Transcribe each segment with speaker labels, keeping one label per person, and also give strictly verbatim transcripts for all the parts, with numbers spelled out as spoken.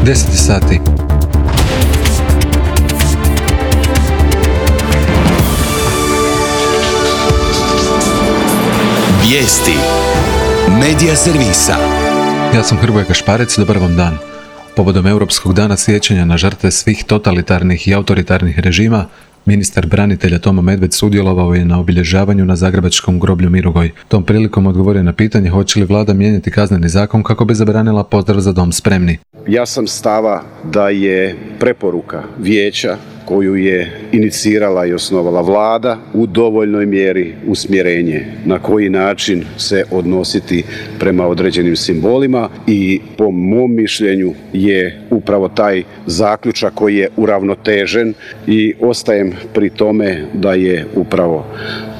Speaker 1: deset sati.
Speaker 2: Vijesti Medija servisa.
Speaker 1: Ja sam Hrvoje Kašparec, dobar vam dan. Povodom Europskog dana sjećanja na žrtve svih totalitarnih i autoritarnih režima, ministar branitelja Tomo Medved sudjelovao je na obilježavanju na zagrebačkom groblju Mirogoj. Tom prilikom odgovorio na pitanje hoće li vlada mijenjati kazneni zakon kako bi zabranila pozdrav za dom spremni.
Speaker 3: Ja sam stava da je preporuka vijeća koju je inicirala i osnovala vlada u dovoljnoj mjeri usmjerenje na koji način se odnositi prema određenim simbolima i po mom mišljenju je upravo taj zaključak koji je uravnotežen i ostajem pri tome da je upravo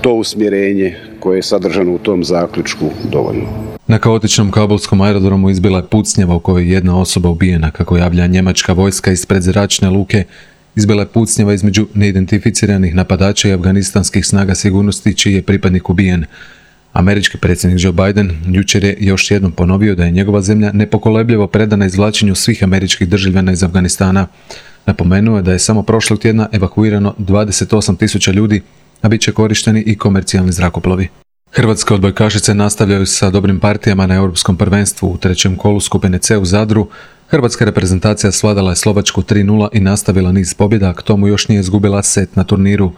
Speaker 3: to usmjerenje koje je sadržano u tom zaključku dovoljno.
Speaker 1: Na kaotičnom kabulskom aerodromu izbila je pucnjava u kojoj je jedna osoba ubijena, kako javlja njemačka vojska ispred zračne luke. Izbila je pucnjava između neidentificiranih napadača i afganistanskih snaga sigurnosti čiji je pripadnik ubijen. Američki predsjednik Joe Biden jučer je još jednom ponovio da je njegova zemlja nepokolebljivo predana izvlačenju svih američkih državljana iz Afganistana. Napomenuo je da je samo prošlog tjedna evakuirano dvadeset osam tisuća ljudi, a bit će korišteni i komercijalni zrakoplovi. Hrvatske odbojkašice nastavljaju sa dobrim partijama na Europskom prvenstvu. U trećem kolu skupine C u Zadru hrvatska reprezentacija svladala je Slovačku tri nula i nastavila niz pobjeda, a k tomu još nije izgubila set na turniru.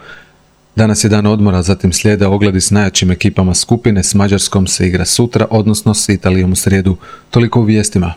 Speaker 1: Danas je dan odmora, zatim slijede ogledi s najjačim ekipama skupine. S Mađarskom se igra sutra, odnosno s Italijom u srijedu. Toliko u vijestima.